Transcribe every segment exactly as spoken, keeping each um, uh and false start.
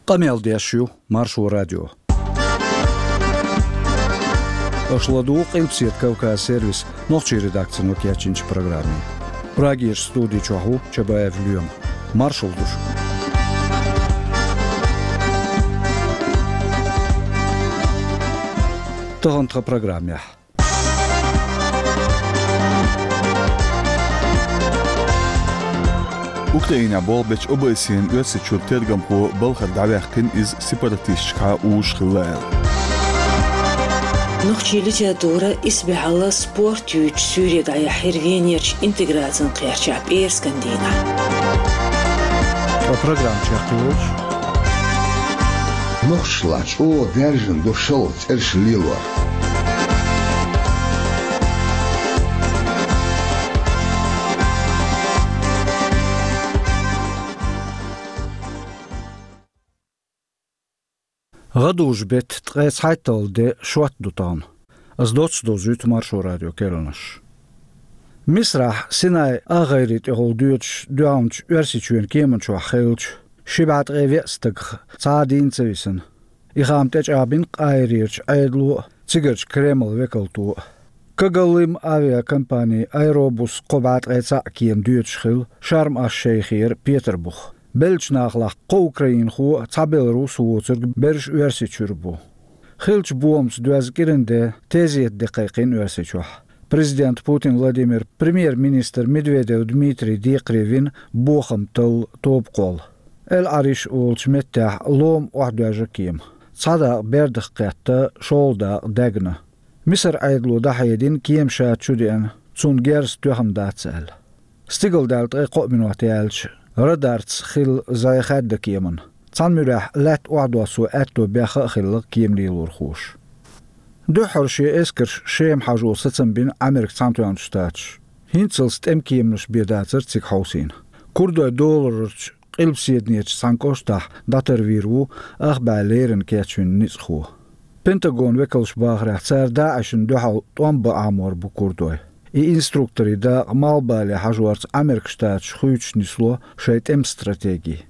Къамел деш ю Маршо радио. Аша ладугӀу Къилбаседа Кавказ сервисан нохчийн редакцино кечйинчу программе. Прагерчу студи чохь ву Чабаев Лоьма. Маршалла ду шуьга. Тахана тхан программехь. Украинехь болх бечу ОБСЕ-н Оьрсийчуьра тергамхо балхара дӀаваьккхина, иза сепаратисташкахьа узуш хилла аьлла. Нохчийн литература исбаьхьалла спорт юьйцучу суьйре дӀаяьхьира Венерчу интеграцин кхерчахь пӀераскан дийнахь. Ткъа программа чекхйолуш. Нохчашлахь чӀогӀа даьржина ду шалгӀа цӀераш лелор. ГӀадужу-беттан ткъе цхьайтталгӀа де, шот ду тахана. Ас доцца довзуьйту Маршо радион керланаш. Мисрахь Синай агӀайре тӀехула доьдуш дуьхьалчу Оьрсийчоьнан кеман чохь хиллачу ши бӀе ткъе веа стагах цхьа а дийна ца висина. И хаам тӀечӀагӀбина Къахьирерчу Ӏедало а, цигарчу Кремлан векалто а. Кагалым авиакомпани Аэробус кхо бӀе ткъе цхьаъ кема доьдуш хилла Шарм-аш-Шейхера Петарбуха. Беллачу нахалахь кхо украинхо а, цхьа беларус а воцург берриш Оьрсийчуьра бу. Хиллачу бохамца доьзна кӀиран де, тезета де кхайкхина Оьрсийчохь. Президент Путин Владимир, премьер-министр Медведев Дмитрий декхаре вина бохам талла тоба кхолла. Эл-Ӏариш олучу меттехь лома охьадоьжна кема. Цхьа дакъа бердах кхетта, шолгӀа дакъа даьгна. Мисар Ӏедало дӀахьедина, кема ша чу деана, цунна герз тоьхна дац аьлла. Стигалдаьлла ткъе кхоъ минот яьлча, радарца хилла зӀе хаьдда кеманна. Цхьана муьрехь лаьтта охьадоссо аьтто бехха а хилла кема лелорхоша. Дуьххьара шен эскарш Шема хьажо сацам бина Ӏамеркан Цхьаьнатоьхначу Штаташа. ХӀинццалц тӀеман кеманаш бен дацара цига хьовсийна. Курдойн доларарчу Къилбаседанечу цхьана кӀоштахь дӀатарвийр ву ах бӀе леррина кечвина ницкъахо. Пентагонан векалша бахарехь, цара ДаӀишна дуьхьал тӀом бан Ӏамор бу курдой. И инструкторийн дакъа малхбале хьажорца Ӏамеркан Штаташ хуьйцуш нисло шайн тӀеман стратеги.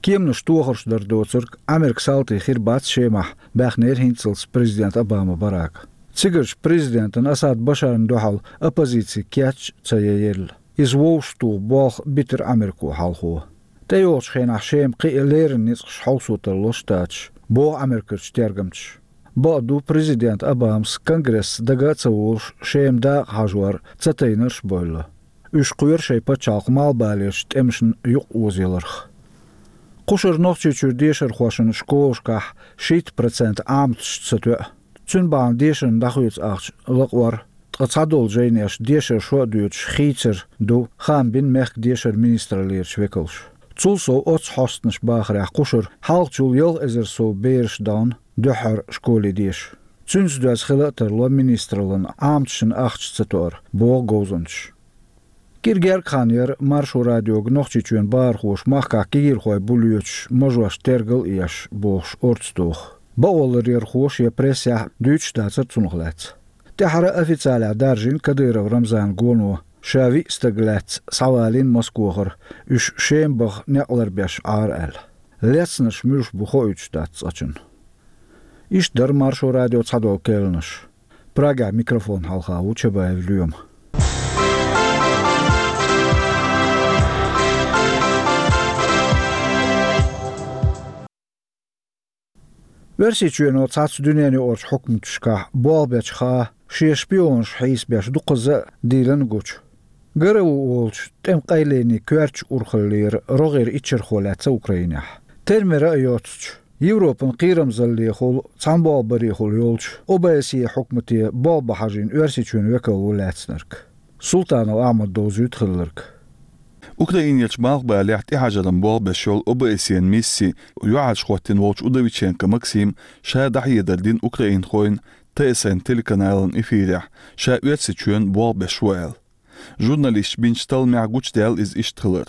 Кеманаш тохарш дар доцург Ӏамеркан салтий хир бац Шемахь, баьхнера хӀинццалц президент Обама Барака. Цигарчу президентан Асад Башарна дуьхьал оппозици кеч а ца яйелла. Иза вовшахтоха болх битира Ӏамерко хьалхо. ТӀейогӀучу хенахь Шема кхин а леррина ницкъаш хьовсо тарло Штаташа, боху Ӏамеркарчу тергамчаша. Бакъду, президент Обамас Конгресса дага а ца волуш, Шема дакъа хьажор ца тайнарш а бевлла. Уьш кхоьру шайн пачхьалкхан малхбалерчу тӀемашна юкъаозаяларх. Кхушара Нохчийчуьра дешархошна школашкахь шийтта процент Ӏаматаш ца тоьа. Цуьнан бахьана дешарна дӀахоьцу ахча лакъор, ткъа цхьадолу жайнеша дешар шо а доьдуш хийцар ду, хаам бина мехкан дешаран министраллерчу векалша. Цул сов, оццу хьостанаша бахарехь, кхушара хьалхачул ялх эзар сов бераш дахана дуьххьара школе деша. Цуьнца доьзна хила а тарло министраллина Ӏаматашна ахча ца тоар, боху говзанчаша. Кира гергга хан яра Маршо радиога Нохчийчоьнан бахархоша махкахь кегийрхой бу лоьцуш мажош тергал а еш, бохуш орца доху. Бакъоларъярхоша я прессехь дуьйцуш дацара цунах лаьцна. ТӀаьхьара официалехь даржийна Кадыров Рамзанан гоно, ша виъ стаг лаьцна схьавалийна Москохара, уьш Шема баха некъ ларбеш Ӏара аьлла. Лецнарш муьлш бу хоуьйтуш дац цкъачунна. Иштта дара Маршо радион цхьадолу керланаш. Прагехь микрофон хьалха ву Чабаев Лоьма. Оьрсийчоьно цхьацца дуьненаюкъарчу хьукматашкахь болх бечу хаа, шен шпионаш хьийсабеш дукхазза а дийлина гучу. ГРУ олучу тӀеман къайленийн коьртачу урхаллера рогӀера иччархо лаьцна Украинехь. Термера а йоццучу, Европан кхерамзаллехула, цхьаьнаболх барехула йолчу ОБСЕ хьукмате болх бан хьажийна Оьрсийчоьнан векал ву лаьцнарг. Султанов Ахьмада довзуьйту хилларг. Украинерчу малхбалехь тӀехьажаран болх беш йолу ОБСЕ-н мисси юьхьӀаьржа хӀоттийна волчу Удовиченко Максима ша дӀахьедар дина украинхойн ТСН телеканалан эфирехь, ша Оьрсийчоьнан болх беш ву аьлла. Журналисташа бинчу талламехь гучудаьлла иза иштта хилар.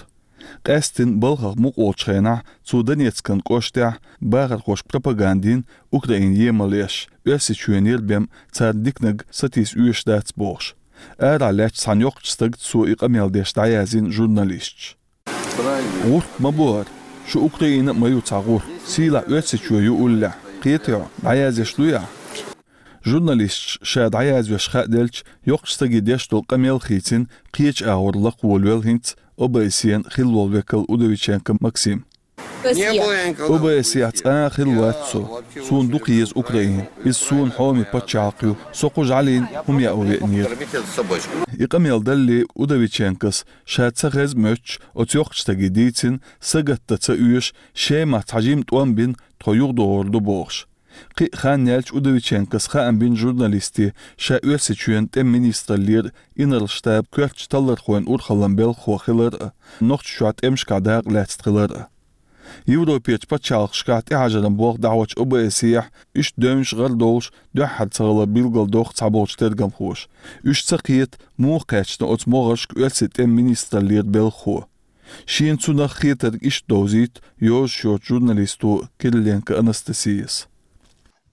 Къаьсттина балхах мукъа волчу хенахь цо Донецкан кӀоштехь бахархошка пропаганда йина Украина емал еш, Оьрсийчоьнера бен царна диканиг сатийса оьшуш дац бохуш. Арахь лаьттачу цхьана йоккхачу стагца цо и къамел деш дӀаяздина журналисташа. ГӀурт ма бу хӀара. Шу Украина а ма ю цхьа гӀур, сийлахь Оьрсийчоь ю уллехь, кхетий хьо, дӀаяздеш дуй ахь? Журналисташ ша дӀаязвеш хаа делча, йоккхачу стаге деш долу къамел хийцина, кхечу агӀор лакхаволавелла хӀинца ОБСЕ-н хилла волу векал Удовиченко Максим. ОБСЕ-хь цкъа а хилла вац со. Суна дукха еза Украина. Иза суна хьоме пачхьалкх ю. Со кху жӀалина хӀума яа веанера. И къамел далале, Удовиченкос, ша ца хеза моьттуш, оцу йоккхачу стаге дийцина, сагатдан ца оьшу, Шемахь цхьа жима тӀом бина, тхо юхадогӀур ду бохуш. Кхин а хан яьлча, Удовиченкос хаам бина журналисташка, ша Оьрсийчоьнан тӀеман министраллера инарла штабан коьртачу таллархойн урхаллин белхахо хилар а, Нохчийчохь тӀемашкахь дакъа лаьцна хилар а. Европерчу пачхьалкхашкахь тӀехьажаран болх дӀахьочу ОБСЕ-хь иштта девнаш гӀар долуш дуьххьара ца хилар билгалдоккху цхьаболчу тергамхоша. Уьш ца кхета, муха кхаьчна оцу могӀаршка оьрсийн тӀеман министраллера белхахо. Шена цунах хетарг иштта довзуьйту йозуш йоцу журналисто Кириленко Анастасияс.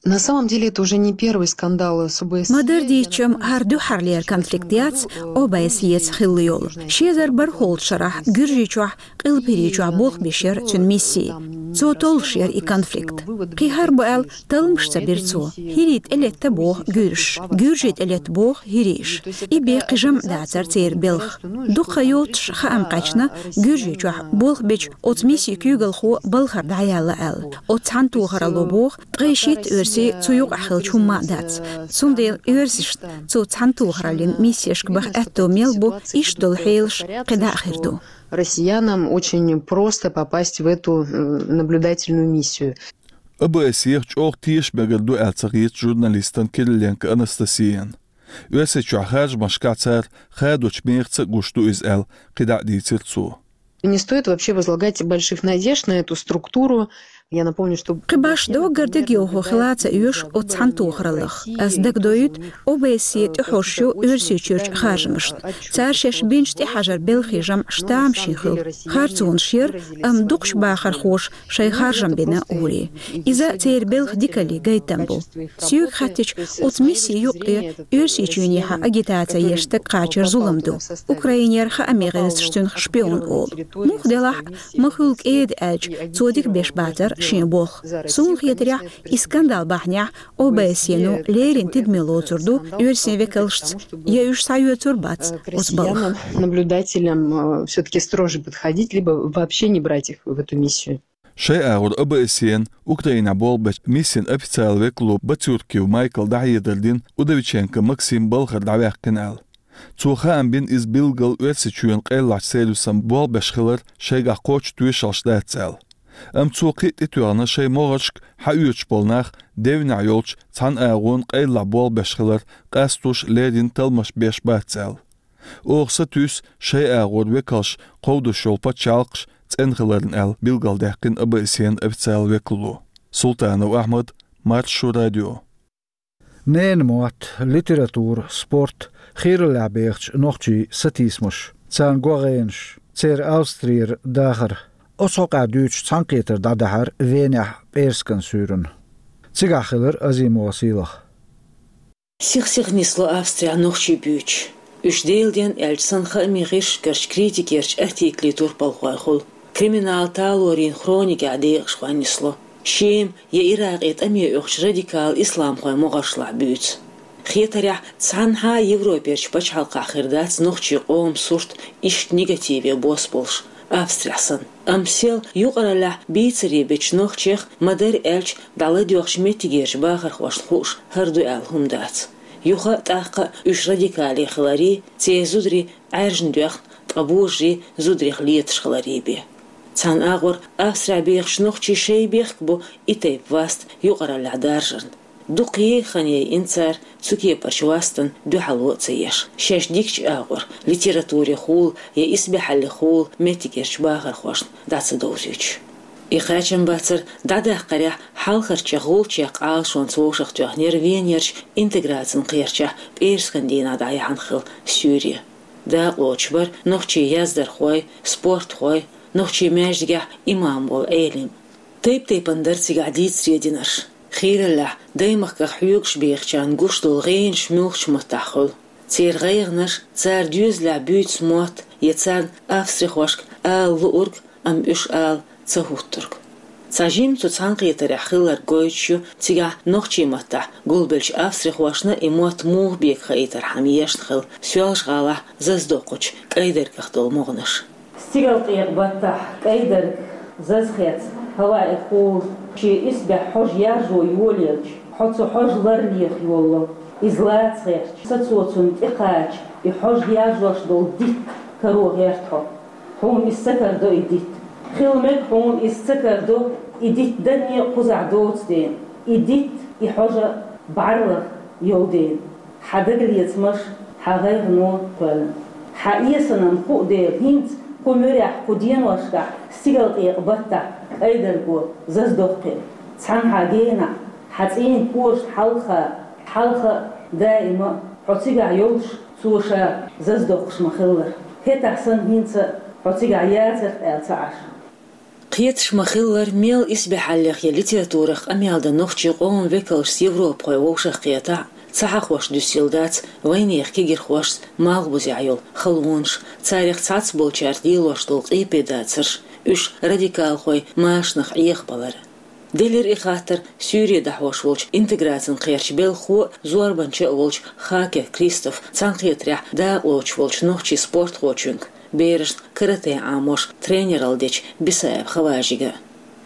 На самом деле это уже не первый скандал с ОБСЕ. Ма-дарра дийцича, хӀара дуьххьарлера конфликт яц ОБСЕ-ца хилла йолу. Ши эзар бархӀолгӀачу шарахь Гуьржийчохь, Къилбаседа чохь болх беш яра цуьнан мисси. Цо толлуш яра и конфликт. Кхин хӀара бу аьлла, талламаш ца бира цо. ХӀирий тӀелетта боху гуьржаша, гуьржий тӀелетта боху хӀирийша. И бен кхин жамӀ дацара церан белхан. Дукха йоццуш хаам кхаьчна Гуьржийчохь болх бечу оцу миссин куьйгалхо балхара дӀаяьлла аьлла. Оцу цхьаьнатохаралло боху, ткъе шийтта оьрси цу юкъахь хилча хӀумма а дац. Цундела оьрсашна цу цхьаьнатохараллин миссешка баха аьтто мел бу, иштта долу хьелаш кхидӀа а хир ду. Россиянам очень просто попасть в эту, э, наблюдательную миссию. ОБСЕ-хь чӀогӀа теша мегар ду аьлла ца хета журналистана Кириленко Анастасияна. Оьрсийчохь харжамашкахь цара хадочу мехаца а гуш ду иза аьлла, кхидӀа а дийцира цо. Не стоит вообще возлагать больших надежд на эту структуру. Я напомню, что... Кхин башха доггар дегайовхо хила ца оьшу оцу цхьаьнатохараллах. Ас дагадоуьйту, ОБСЕ тӀехьожуш ю Оьрсийчуьрчу харжамашна. Цара шаьш бинчу тӀехьажаран белхан жамӀаш тамашийна хуьлу. Харцонаш яра, амма дукхачу бахархоша шайн харжам бина гӀури. Иза церан белхан дикаллин гайтам бу. Соьга хаьттича, оцу мисси юккъе Оьрсийчоьнехьа агитаци еш стаг кхачар зулам ду. Украинера хааман гӀирсаша цунах шпион олу. Муха делахь а, ма хуьлу кӀеда аьлча, цо дика беш бацара шен болх. Суна хетарехь, и скандал бахьанехь ОБСЕ-но леррина тидаме лоцур ду оьрсийн векалшца, я уьш схьаоьцур бац оцу балхах. Россиянам, наблюдателям, э, всё-таки строже подходить, либо вообще не брать их в эту миссию. Шайн агӀор ОБСЕ-н Украинехь болх бечу миссин официалан векало Бацюрков Майкла дӀахьедар дина Удовиченко Максим балхара дӀаваьккхина аьлла. Цо хаам бина иза билггал Оьрсийчоьнан къайлахчу сервисан болх беш хилар шайгахь кхоччуш тоьшаллаш дац аьлла. Амма цо кхин а тӀетоьхна шайн могӀаршка хьаоьцуш болу нах девнехь йолчу цхьана агӀонна къайлахь болх беш хилар къастош леррина талламаш беш бац аьлла. Оха сатуьйсу шайн агӀор векалш кховдош йолу пачхьалкхаш цӀена хиларна аьлла, билгалдаьккхина ОБСЕ-н официалан векало. Султанов Ахьмад, Маршо радио. Ненан мотт, литература, спорт, хийраллехь бехачу нохчийн сатийсамаш, царна гӀо-гӀенаш, церан Австрера дахар. Оцу хьокъехь дуьйцуш цхьаьнакхетар дӀадахьара Венехь пӀераскан суьйранна. Цигахь хилира Азимова Сийлаха. Сих-сиха нисло Австрехь нохчий буьйцуш. Уьш делден аьлча санна хаамийн гӀирсашкарчу критикерчу артиклийн турпалхойн хуьлу. Криминал, талорийн хроникехь декъашхой нисло. Шема я Иракъе тӀаме оьхучу радикал исламхойн могӀаршлахь буьйцу. Хетарехь, цхьаннахьа а Европерчу пачхьалкхахь хир дац нохчийн къоман сурт иштта негативе бос болуш, Австрехь санна. Амма сел юкъараллехь бийцаре бечу нохчех, ма-дарра аьлча, дӀаладоьгӀучу меттигерчу бахархошна хууш хӀара ду аьлла хӀума дац. Юха а, тӀаккха а уьш радикале хиларий, церан зударий Ӏаьржана доьхна, ткъа божарий зударех леташ хиларий бен. Цхьана агӀор Австрехь бехачу нохчийн шайн бехк бу и тайпа васт юкъараллехь даржарна. Дукха ей хан яйина цара цу кепарчу вастана дуьхьало а ца еш, шаьш дикачу агӀор, литературе хула я исбаьхьалле хула меттигерчу бахархошна дӀа ца довзуьйтуш. И кхачам бацара дӀадаккхарехь хьалхарчех гӀулчех Ӏалашонца вовшахтоьхна яра Венерчу интеграцин кхерчахь пӀераскан дийнахь дӀаяьхьна хилла суьйре. Дакъалоцуш бара нохчийн яздархой, спортхой, нохчийн маьждигехь имам волу Ӏелим. Тайп-тайпана дара цигахь дийцаре динарш. Хийраллехь, даймахках хьоьгуш бехачарна гуш долу гӀенаш муьлхачу маттахь хуьлу. Церан гӀайгӀанаш, цара доьзалехь буьйцу мотт я царна австрихошка ала луург, амма уьш ала ца хӀуттург. Цхьа жимма цу цхьаьнакхетарехь хилларг гойтуш ю, цигахь нохчийн маттахь гулбеллачу австрихошна и мотт муха бекхаийтархьама ешна хилла Соьлжа-ГӀалахь Заздоккхачу КӀайдаргах долу могӀанаш. Стигалкъекъа баттахь КӀайдарг, Зазхец, хӀаваэхула, шен исбаьхьа хьожа яржо йолаелча, хьо цу хьожа лар леха йолало. Иза лаца гӀерташ, сацо цунна тӀекхача, и хьожа яржош долу дитт каро гӀерта хьо. Хьуна иза ца карадо и дитт. Хила мега хьуна иза ца карадо, и дитт данне а кхузахь доцу дела, и дитт, и хьожа бӀарлагӀа йолу дела. Хьан дагалецамаш, хьан гӀайгӀано кхоьллина. Хьан эсанан хуу дела, хӀинца кху муьрехь, кху деношкахь, стигалкъекъа баттахь КӀайдарго, Заздоккхе, цхьана хьан генахь, хьан цӀийнан кожанан хьалха, хьалха даима а хьо цигахь йолуш, цо ша Заздоккхаш ма-хиллара. ХӀетахь санна хӀинца а хьо цигахь яцара аьлла ца Ӏаш. Кхеташ ма-хиллара, мел исбаьхьаллех я литературах къамел дан нохчийн къоман векалшца европахой вовшах кхетахь а, ца хьахош дуьсийла дац вайнехан кегирхошца малхбузехь йолу халонаш, царех цхьацца болчаьрца лелош долу къепедацарш, уьш радикалхойн машанах Ӏехабалар. Делира и хаттар Суьйре дӀахьош волчу интеграцин кхерчан белхахо а, зорбанча а волчу Хакер Кристоф цхьаьнакхетарехь дакъалоцуш волчу нохчийн спортхочуьнга, берашна карате Ӏамош тренералла дечу Бисаев Хаважига.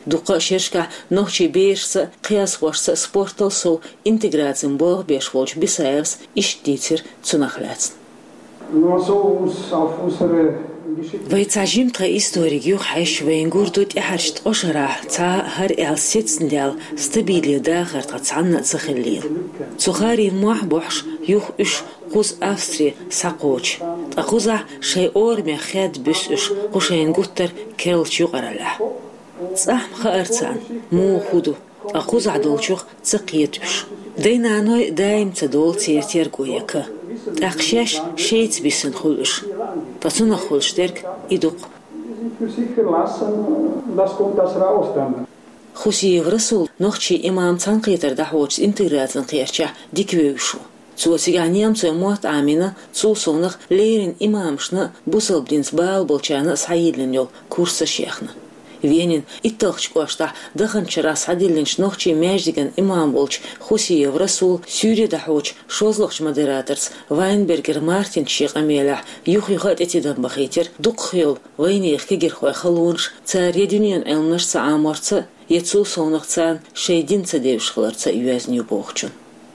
Дуккха а шерашкахь нохчийн берашца а, кхиазхошца а спортал сов интеграцин болх беш волчу Бисаевс иштта дийцира цунах лаьцна. Вай цхьа жимма тхан историг юхахьаьжча, вайна гур ду тӀаьхьарчу ткъа шарахь цхьа а хӀара аьлла сецна даьлла стабиле дахар тхан цхьанна а ца хиллийла. Цу харин мохь бохьуш юха уьш кхуза Австре схьакхочу. Ткъа кхузахь шайн орамех хед буьсу уьш кху шайна гуттар а керлачу юкъараллехь. ЦӀахь ма хаьара царна, муха хӀун ду, ткъа кхузахь долчух ца кхета уьш. Дай-наной даим ца долу церан терго яка. ТӀаккха шаьш шайца бисина хуьлу уьш. Ткъа цунах хуьлуш дерг и ду-кх. Хусиев Расул нохчийн имам цхьаьнакхетар дӀахьочу интеграцин кхерчехь дика вевзаш ву. Цо цигахь немцойн мотт Ӏамийна, цул совнаха леррина имамашна а, бусалба динца бала болчарна а схьайиллина йолу курсаш яьхна. Венин Итталгьчу кӀоштахь даханчу шарахь схьадиллинчу нохчийн маьждиган имам волчу Хусиев Расула Суьйре дӀахьочу шозлагӀчу модераторца Вайнбергер Мартина шен къамелехь юх-юха а тӀетидам бахийтира дукхах йолу вайнехан кегирхойн халонаш, цара я дуьненан Ӏилманаш ца Ӏаморца, я цул совнаха царна шайн дин ца девзаш хиларца йоьзна ю бохучун.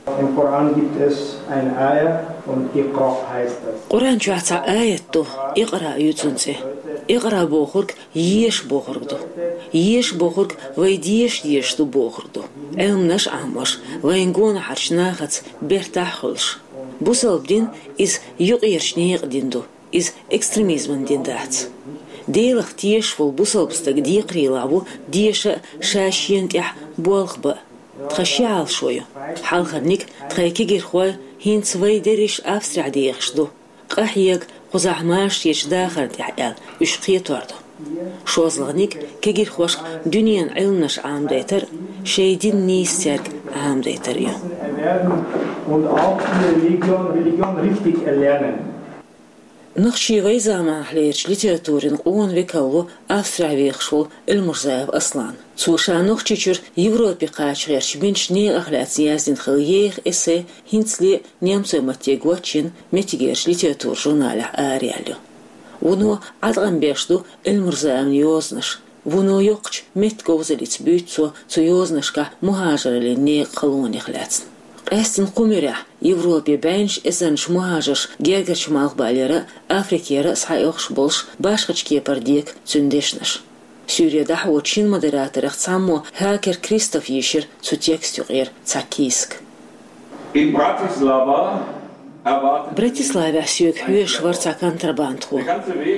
Im Koran gibt es eine Ayah und Iqra heißt das. Къуръан чохь цхьа аят ду, икъра ю цуьнан цӀе. Икъра бохург еша бохург ду. Еша бохург вай деша дезаш ду бохург ду. Ӏилманаш а Ӏамош, вайн гонахарчу нахаца бертахь а хуьлуш. Бусалба дин иза юкъерчу некъан дин ду. Иза экстремизман дин дац. Делах тешаш волу бусалба стаг декхарийлахь ву деша а, ша шена тӀехь болх бан а. Тхан ши Ӏалашо ю. Хьалхарниг, тхайн кегирхой хӀинца вай дерриш Австрехь дехаш ду. Къахьега, кхузахь машаречу дахарна тӀехь аьлла, уьш кхетор ду. ШозлагӀниг, кегирхошка дуьненан Ӏилманаш Ӏамадайтар а, шайн дин нийса цаьрга Ӏамадайтар а ю. Und auch die Religion, Religion richtig erlernen. Нохчийн вайн заманахьлерчу литературин къона векал ву Австрехь вехаш волу Эльмурзаев Аслан. Цо ша Нохчийчуьра Европе кхача гӀерташ бинчу некъах лаьцна яздина хилла еха эссе хӀинцале а немцойн матте гочйина меттигерчу литературин журналехь араяьлла ю. Вуно Ӏаткъам беш ду Эльмурзаевн йозанаш. Вуно йоккхачу меттаговзаллица буьйцу цо цу йозанашкахь мухӀажараллин некъан халонех лаьцна. Къаьсттина кху муьрехь Европе бӀеннаш эзарнаш мухӀажарш гергарчу малхбалера а, Африкера а схьаоьхуш болуш, башхачу кепара дега цуьнан дешнаш. Суьйре дӀахьочу шина модераторех цхьаммо Хакер Кристоф йийшира цу текста юкъера цхьа кийсак. In Bratislava Братиславехь соьга хьоьжуш вара цхьа контрабандхо.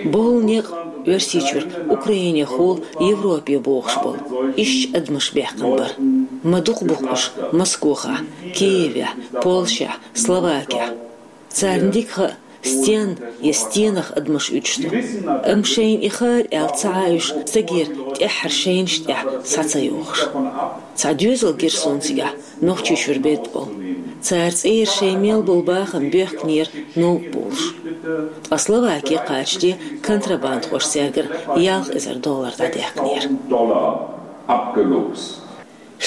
Боху некъ Оьрсийчуьра Украинехула Европе бохуш болу ишттачу адамаш баьккхина бара. Ма дукха бу-кх уьш Москохахь, Киевехь, Польшехь, Словакехь. Царна дика хаьа, Стен я стенах адамаш уьдуш ду. Амма шайна и хаар аьлла ца Ӏа уьш, стагера тӀаьххьара шайнаш тӀехь схьа ца йохуш. Цхьа доьзал гира суна цигахь, Нохчийчуьра бедда болу. Цара цӀера шайн мел болу бахам боьхкинера новкъа болуш. Ткъа Словаке кхачаде контрабандхоша цаьргара ялх эзар доллар дӀадаьккхинера.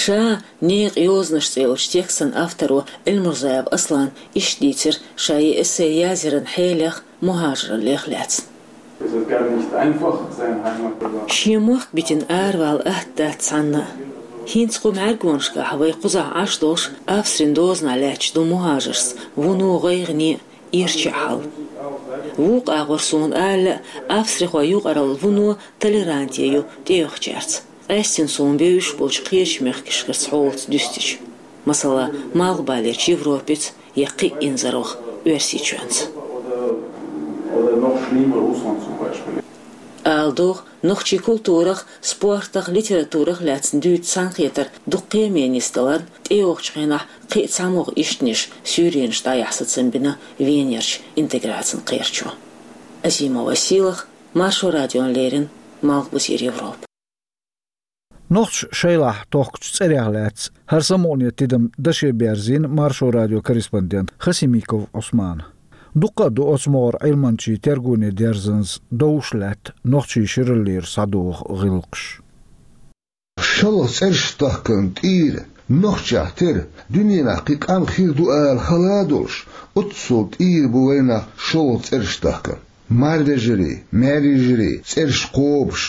«Ша некъан йозанаш» цӀе йолчу текстан авторо Эльмурзаев Аслана иштта дийцира ша и эссе язъяран хьелех, мухӀажараллех лаьцна. Шен мохк битина аравала атта дац цхьанна а. ХӀинца кху мӀаьргонашкахь вай кхузахь Ӏаш долуш Австрин дозанахь лаьтташ ду мухӀажаршца вуно гӀайгӀане а, ирча а хьал. Вукху агӀор суна ала, австрихойн юкъаралла вуно толеранте ю тӀейогӀучаьрца, къаьстина суна бевзаш болчу кхечу мехкашкарчу хьолаца дуьстича, масала, Малхбалерчу Европица я кхин а инзарваха Оьрсийчоьнца. Ала догӀу, нохчийн культурах, спортах, литературах лаьцна дуьйцу цхьаьнакхетар дукха кхеменна нисдаларна, тӀейогӀучу хенахь кхин а цхьа могӀа ишттанаш, суьйренаш дӀаяхьа сацам бина Венерчу интеграцин кхерачо. Азимова Сийлаха, Маршо радиона леррина, Малхбузера Европа. Нохчаша шайлахь тохкучу цӀерех лаьцна хӀара самукъане тидам даше берзийна Маршо радион корреспондента Хасимиков Ӏусмана. Дуккха а ду оцу могӀара Ӏилманчийн тергоне дерзанза довш лаьтта нохчийн шираллера схьадогӀу гӀиллакхаш. ШолгӀа цӀераш тахкарна тӀера, нохчех тера, дуьненахь кхин къам хир ду ала хала а долуш, оццул тӀера бу вайнах шолгӀа цӀераш тахкар. Марвежарий, маьрйижарий цӀераш кхобуш,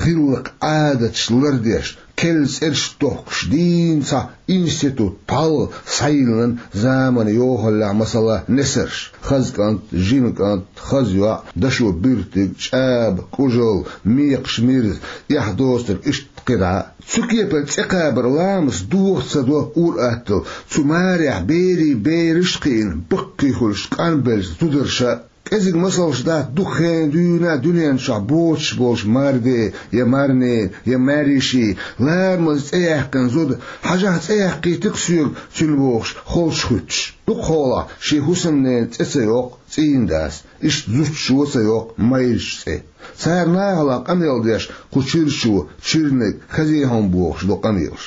гӀиллакх-Ӏадаташ лардеш, керла цӀераш тохкуш дийна цхьа институт пхьалгӀа схьайиллина заманан йохаллехь, масала, несарш: хаза кӀант, жима кӀант, хаза йоӀ, дашо буьртиг, чӀаба, кӀужал, мекхаш, мирза, эхь доцург, иштта кхидӀа а. Цу кепара цӀе кхабар ламаца дохо ца до ур-атталла, цу марехь берийн бераш а кхиъна, баккхий хуьлуш къанбеллачу зударша а. КӀезиг масалш дац дукха хенахь дуьйна дуьнен чохь боцуш болчу Марве я Марне я Маьрйиши, ламаза цӀе яьккхина зуда, хьажахь, цӀе яьккхийти-кх соьга цуьнан, бохуш, холчу хуьттуш. Дукхахьолахь шен хӀусамненан цӀе ца йоккху цӀийнан дас, иштта зудчо ца йоккху майрачу цӀе. Цара нахалахь къамел деш, кху чирчо, чирниг, хаза хӀума бохуш ду къамелаш.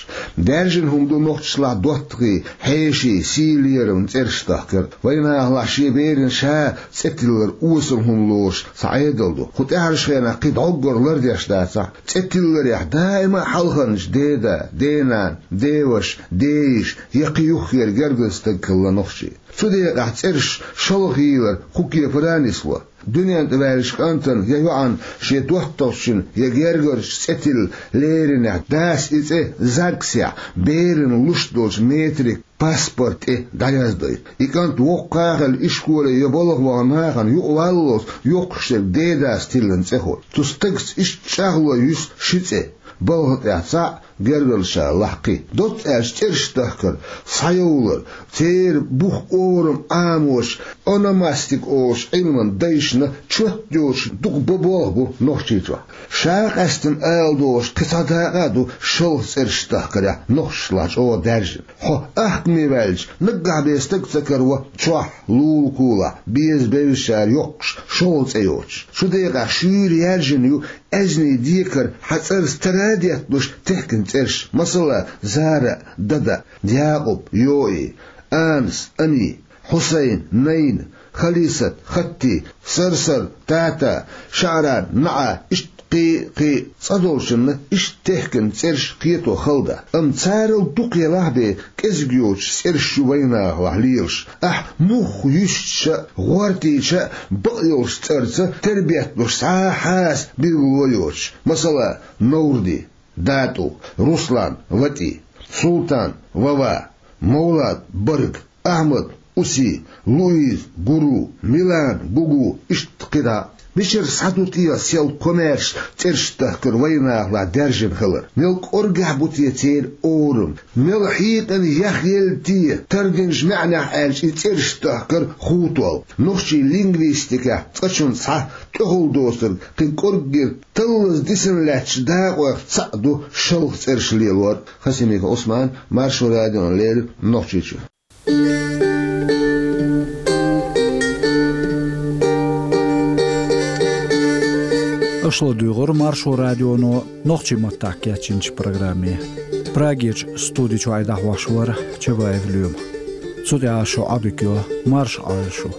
Даьржина хӀума ду нохчашлахь доттагӀий, хьеший, сий лерам цӀераш тахкар. Вайнахалахь шен берана ша цӀе тиллар осал хӀума лоруш цхьа Ӏедал ду. Кху тӀаьхьарчу хенахь кхин дӀоггара лардеш дацахь, цӀе тилларехь даима а хьалхарнаш деда, денана, деваша, дейиша я кхин юххера гергара стаг хилла нохчий. Цу декъехь цӀераш шалха йийлар кху кепара а нисло. Дуьнен тӀе ваьллачу кӀантана я йоӀана шен доттагӀчун я гергарчун цӀе тилла леринехь, дас и цӀе ЗАГСехь берана луш долчу метрикан паспорт тӀе дӀаяздойу. И кӀант воккха а хилла ишколе я балха вахана нахана юкъаваллалц йоккхуш дерг дедас тиллина цӀе хуьлу. Цу стагца иштта чӀагӀло юьсу ши цӀе: балха тӀехь цхьаъ, гергарчу лахь кхин. Доцца аьлча, цӀераш тахкар, схьайовлар, церан бух, орам Ӏамош, ономастика олучу Ӏилманан дайшна чот йоцуш дукха бо-болх бу Нохчийчохь. Ша къаьстина ала догӀуш кхин цхьа дакъа а ду шалха цӀераш тахкарехь нохчашлахь чӀогӀа даьржина. Хьо ахкаме ваьлча, наггахь бен стаг ца караво чохь, лулахь, беза-бевзачара йоккхуш, шолгӀа цӀе йоцуш. Цу декъехь шуьйра яьржина ю аьзнийн декара хьан цӀарца тара а детталуш техкина цӀераш, масала, Зара, Дада, Якъуб, Йои, Анас, Ами, Хьусайн, Найна, Халисат, Хатти, Сарсар, Тата, ШаӀран, НаӀа, иштта кхин, кхин. Цкъа долчунна иштта техкина цӀераш кхето хала дац. Амма царал дукха елахь бен кӀезиг йоцуш цӀераш ю вайнахалахь лелаш. Ахь муха юьстича а, гӀортийча а, бакъ йолчу цӀарца тера бетталуш цхьа а хьаса билгало йоцуш. Масала, Новрди, ДатӀу, Руслан, ВатӀи, Султан, Вава, Мовлад, Барг, Ахьмад, Уси, Луиз, Гуру, Милан, Гугу, иштта кхидӀа а. Мичара схьа ду те сел комаьрша цӀераш тахкар вайнахалахь даьржина хилар? Мел кӀоргехь бу те церан орам? Мел хьекъана яхъелла те, тардинчу маьӀнехь аьлча, и цӀераш тахкар хутол? Нохчийн лингвистикехь цкъачунна цхьа тӀехула доцург кхин кӀорггера таллаза дисина лаьттачу дакъойх цхьаъ ду шалха цӀераш лелор. Хасимиков Ӏусман, Маршо радиона леррина, Нохчийчуьра. Аша ладугӀура Маршо радионо нохчийн маттахь кечйинчу программе. Прагерчу студи чуьра дӀахьош вара Чабаев Лоьма. Цу тӀехь шун Ӏодика йо, марша Ӏойла шу.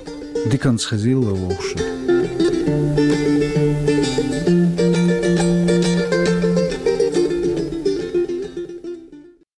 Диканца хезийла вовшашна.